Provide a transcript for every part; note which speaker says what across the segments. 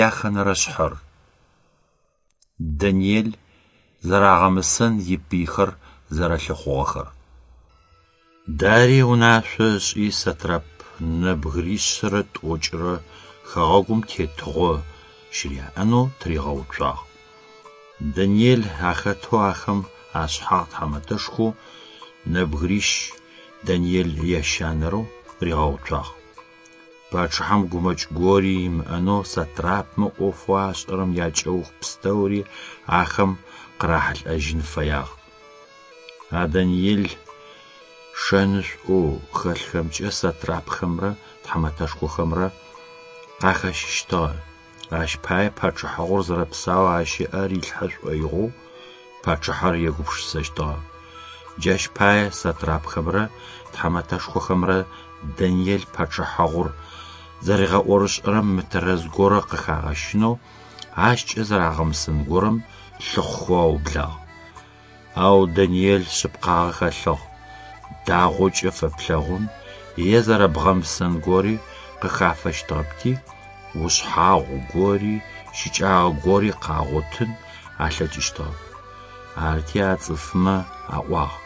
Speaker 1: Яхэнэрэ шъхьэр. Даниел зэрагъэмысэн ипыйхэр зэрэлъыхъугъэхэр. Дарий унашъо ышӏи сатрап нэбгыришъэрэ тӏокӏырэ хэгъэгум тетыгъо щыряӏэнэу тыригъэуцуагъ. Даниел ахэтэу ахэм ашъхьагъ тхьамэтэшхоу нэбгырищ, Даниел ящанэрэу, ригъэуцуагъ. Пачъыхьэм гумэкӏ гори имыӏэнэу сатрапмэ ӏофэу ашӏэрэм якӏэух пстэури ахэм къырахьылӏэжьын фэягъ. А Даниел шэнышӏоу хэлъхэмкӏэ сатрапхэмрэ тхьамэтэшхохэмрэ къахэщыщтыгъэ, ащ пае пачъыхьагъур зэрэпсаоу ащ ыӏэ рилъхьэ шӏоигъоу пачъыхьэр егупшысэщтыгъэ. Джащ пае сатрапхэмрэ тхьамэтэшхохэмрэ Даниел пачъыхьагъур зэригъэӏорышӏэрэм мытэрэз горэ къыхагъэщынэу, ащкӏэ зэрагъэмысэн горэм лъыхъухэу аублагъ. Ау Даниел шъыпкъагъэ хэлъыгъ, дагъокӏэ фэплъэгъун е зэрэбгъэмысэн гори къыхафэщтыгъэпти, ушъхьагъу гори, щыкӏагъэ гори къагъотын алъэкӏыщтыгъэп. Арти а цӏыфмэ аӏуагъ: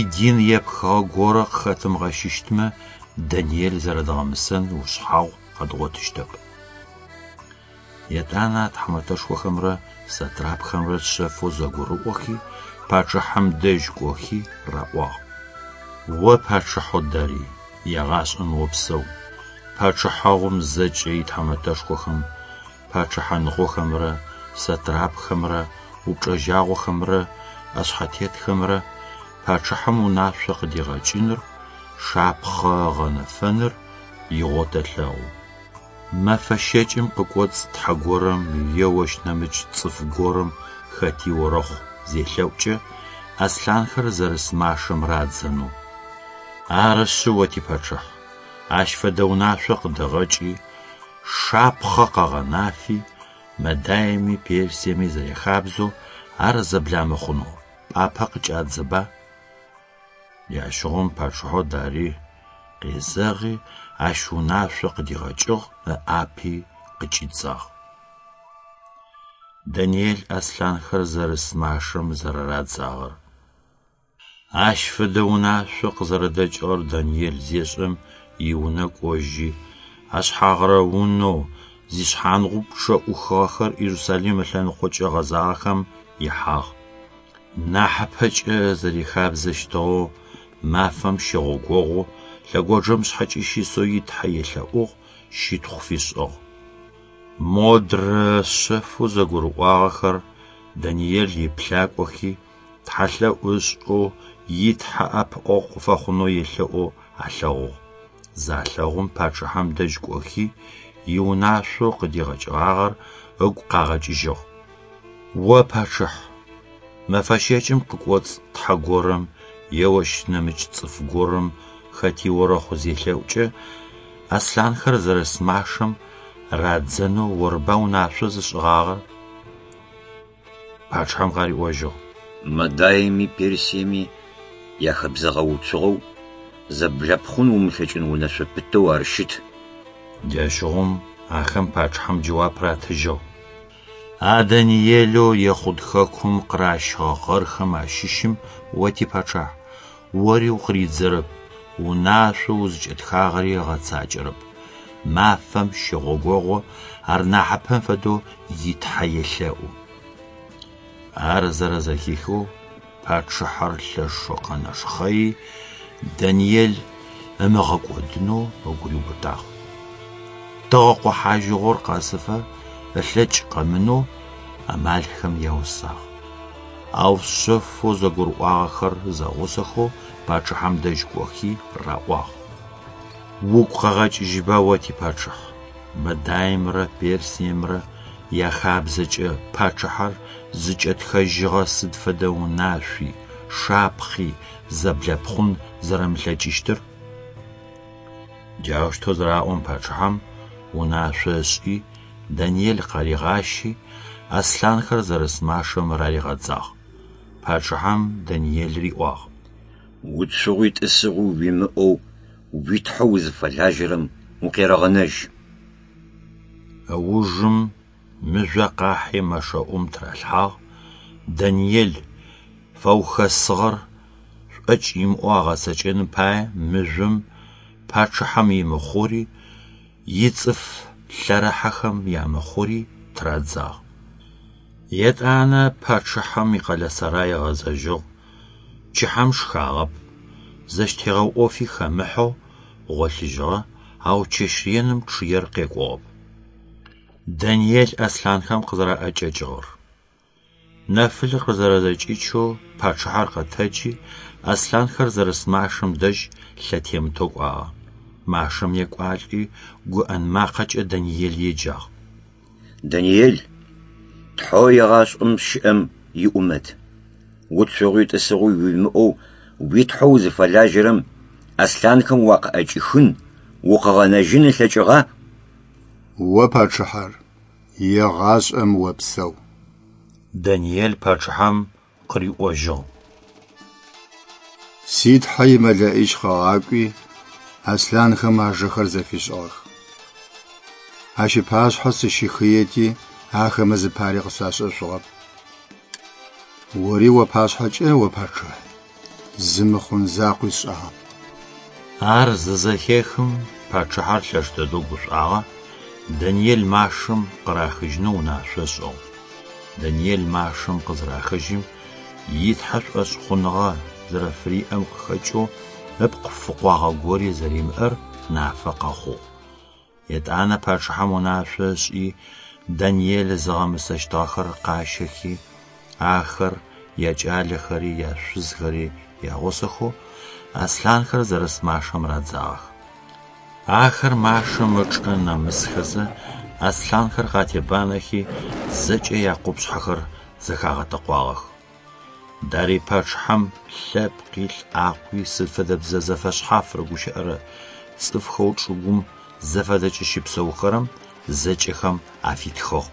Speaker 1: Идин епхыгъэ горэ къыхэтымыгъэщыщтмэ, Даниел зэрэдгъэмысэн ушъхьагъу къэдгъотыщтэп. Етӏанэ а тхьамэтэшхохэмрэ сатрапхэмрэ шъэфэу зэгурыӏохи, пачъыхьэм дэжь кӏохи раӏуагъ: О пачъыхьэу Дарий, егъашӏэм опсэу! Пачъыхьагъум зэкӏэ итхьамэтэшхохэм, пачъыхьаныгъохэмрэ сатрапхэмрэ упчӏэжьагъохэмрэ ӏэшъхьэтетхэмрэ пачъыхьэм унашъо къыдигъэкӏыныр, шапхъэ ыгъэнэфэныр игъоу тэлъэгъу. Мэфэ щэкӏым къыкӏоцӏ тхьэ горэм е ощ нэмыкӏ цӏыф горэм хэти орэхъу зелъэӏукӏэ, аслъанхэр зэрыс машэм радзэнэу. Арышъы, о типачъыхь, ащ фэдэ унашъо къыдэгъэкӏи, шапхъэ къэгъэнафи, Мадаеми Персиеми зэряхабзэу ар зэбламыхъунэу пӏапэ къыкӏадзэба. Джащыгъум пачъыхьэу Дарий къезэгъи, ащ унашъо къыдигъэкӏыгъ, ыӏапи къыкӏидзагъ. Даниел аслъанхэр зэрыс машэм зэрэрадзагъэр. Ащ фэдэ унашъо къызэрэдэкӏыгъэр Даниел зешӏэм, иунэ кӏожьи, ашъхьагъырэ унэу зишъхьангъупчъэ ӏухыгъэхэр Иерусалим ылъэныкъокӏэ гъэзагъэхэм ихьагъ. Нахьыпэкӏэ зэрихабзэщтыгъэу, мафэм щэгъогогъо лъэгонджэмшъхьэкӏэ щысэу и Тхьэ елъэӏугъ, щытхъу фишӏыгъ. Модрэ шъэфэу зэгурыӏуагъэхэр Даниел иплъакӏохи, тхьэлъэӏу ышӏэу и Тхьэ ӏэпыӏэгъу къыфэхъунэу елъэӏоу алъэгъугъ. Залъэгъум пачъыхьэм дэжь кӏохи, иунашъоу къыдигъэкӏыгъагъэр ыгу къагъэкӏыжьыгъ. О пачъыхь, мэфэ щэкӏым къыкӏоцӏ тхьэ горэм е ощ нэмыкӏ цӏыф горэм хэти орэхъу зелъэӏукӏэ, аслъанхэр зэрыс машэм радзэнэу орба унашъо зышӏыгъагъэр? Пачъыхьэм къариӏожьыгъ.
Speaker 2: Мадаеми Персиеми яхэбзэгъэуцугъэу, зэблэпхъун умылъэкӏын унэшъо пытэу ар щыт.
Speaker 1: Джащыгъум ахэм пачъыхьэм джэуап ратыжьыгъ. А Даниелэу Ехъуд хэкум къыращыгъэ гъэрхэм ащыщым о типачъыхь, ори укъыридзэрэп, унашъоу узыкӏэтхагъэри ыгъэцакӏэрэп. Мафэм щэгъогогъо ар нахьыпэм фэдэу и Тхьэ елъэӏу. Ар зэрэзэхихэу пачъыхьэр лъэшэу къэнэшхъэи, Даниел ымыгъэкӏодынэу ыгу риубытагъ. Тыгъэ къохьажьыгъор къэсыфэ ылъэкӏ къэмынэу амалхэм яусагъ. Ау шъэфэу зэгурыӏуагъэхэр зэгъусэхэу пачъыхьэм дэжь кӏохи раӏуагъ: Угу къэгъэкӏыжьыба о типачъыхь, Мадаимрэ Персиемрэ яхабзэкӏэ пачъыхьэр зыкӏэтхэжьыгъэ сыд фэдэ унашъуи, шапхъи зэблэпхъун зэрэмылъэкӏыщтыр? Джаущтэу зыраӏом пачъыхьэм унашъо ышӏи, Даниел къаригъащи, аслъанхэр зэрыс машэм раригъэдзагъ. Пачъыхьэм Даниел риӏуагъ:
Speaker 2: Уцугъуи тӏысыгъуи уимыӏэу уи Тхьэу узыфэлажьэрэм укъерэгъэнэжь.
Speaker 1: Ыужым мыжъо къахьи мэшэӀум тыралъхьагъ, Даниел фаухэсыгъэр шӀокӀ имыӀэу агъэцэкӀэным пае мыжъом пачъыхьэм имыхъури, ицӀыф лъэрыхьэхэм ямыхъури тырадзагъ. ЕтӀанэ пачъыхьэм икъэлэсэрай ыгъэзэжьыгъ, пчыхьэм шхагъэп, зэщтегъэу Ӏофи хэмыхьэу гъолъыжьыгъэ, ау чэщ реным чъыер къекӀугъэп. Даниел аслъанхэм къызэраӀэкӀэкӀыгъэр. Нэфылъыр къызэрэзэкӀичэу пачъыхьэр къэтэджи, аслъанхэр зэрыс машэм дэжь лъэтемытэу кӀуагъэ. Машэм екӀуалӀи, гуӀэн макъэкӀэ Даниел еджагъ.
Speaker 2: Даниел, Тхьэу егъашӀэм щыӀэм иӀумэт, уцугъуи тӀысыгъуи уимыӀэу уи Тхьэу узыфэлажьэрэм аслъанхэм уакъыӀэкӀихын, укъыгъэнэжьын ылъэкӀыгъа?
Speaker 3: О пачъыхьэр, егъашӀэм опсэу!
Speaker 1: Даниел пачъыхьэм къыриӀожьыгъ:
Speaker 3: Си Тхьэ и МэлэӀич къыгъакӀуи, аслъанхэм ажэхэр зэфишӀыгъэх. Ащ ыпашъхьэ сыщыхыети, ахэмэ зыпари къысашӀэшъугъэп. Ори уапашъхьэкӀэ, о пачъыхь, зы мыхъун закъуи сшӀагъэп.
Speaker 1: Ар зызэхехым, пачъыхьэр лъэш дэдэу гушӀуагъэ, Даниел машэм къырахыжьынэу унашъо ышӀыгъ. Даниел машэм къызырахыжьым, и Тхьэ шӀошъхъуныгъэ зэрэфыриӀэм къыхэкӀэу ыпкъ фыкъуагъэ гори зэримыӀэр нафэ къэхъугъ. ЕтӀанэ пачъыхьэм унашъо ышӀи, Даниел зыгъэмысэщтыгъэхэр къащэхи, ахэр, якӀалэхэри, яшъузхэри ягъусэхэу аслъанхэр зэрыс машэм радзагъэх. Ахэр машэм ычӀэ нэмысхэзэ, аслъанхэр къатебанэхи, зэкӀэ якъупшъхьэхэр зэхагъэтэкъуагъэх. Дарый пачъыхьэм лъэпкъи, лӀакъуи, сыд фэдэ бзэ зэфэшъхьаф рыгущыӀэрэ цӀыфхэу чӀыгум зэфэдэкӀэ щыпсэухэрэм зэкӀэхэм афитхыгъ.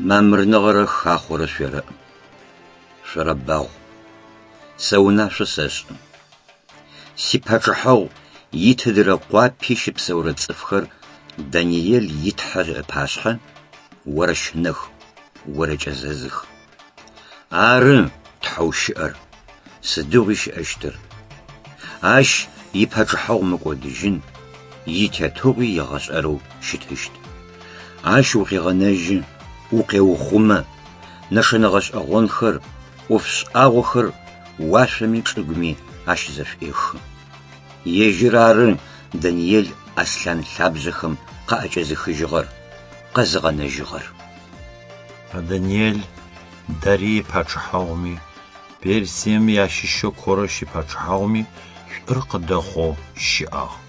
Speaker 2: Мамырныгъэрэ хахъорэ шъуерэӏ, шъорэбагъу. Сэ унашъо сэшӏы. Сипачъыхьэгъу итыдырэ къуапи щыпсэурэ цӏыфхэр Даниел и Тхьэ ыпашъхьэ орэщынэх, орэкӏэзэзых. Ары Тхьэу щыӏэр, сыдигъуи щыӏэщтыр. Ащ ипачъыхьэгъу мыкӏодыжьын, итетыгъуи егъэшӏэрэу щытыщт. Ащ укъегъэнэжьы, укъеухъумэ, нэшэнэ гъэшӏэгъонхэр, ӏоф шӏагъохэр уашъоми чӏыгуми ащызэшӏуехы. Ежьыр ары Даниел аслъан лъабжъэхэм къаӏэкӏэзыхыжьыгъэр, къэзыгъэнэжьыгъэр.
Speaker 1: А Даниел Дарый ипачъыхьэгъуми, Персием ящыщэу Корэщ ипачъыхьэгъуми шӀур къыдэхъоу щыӀагъ.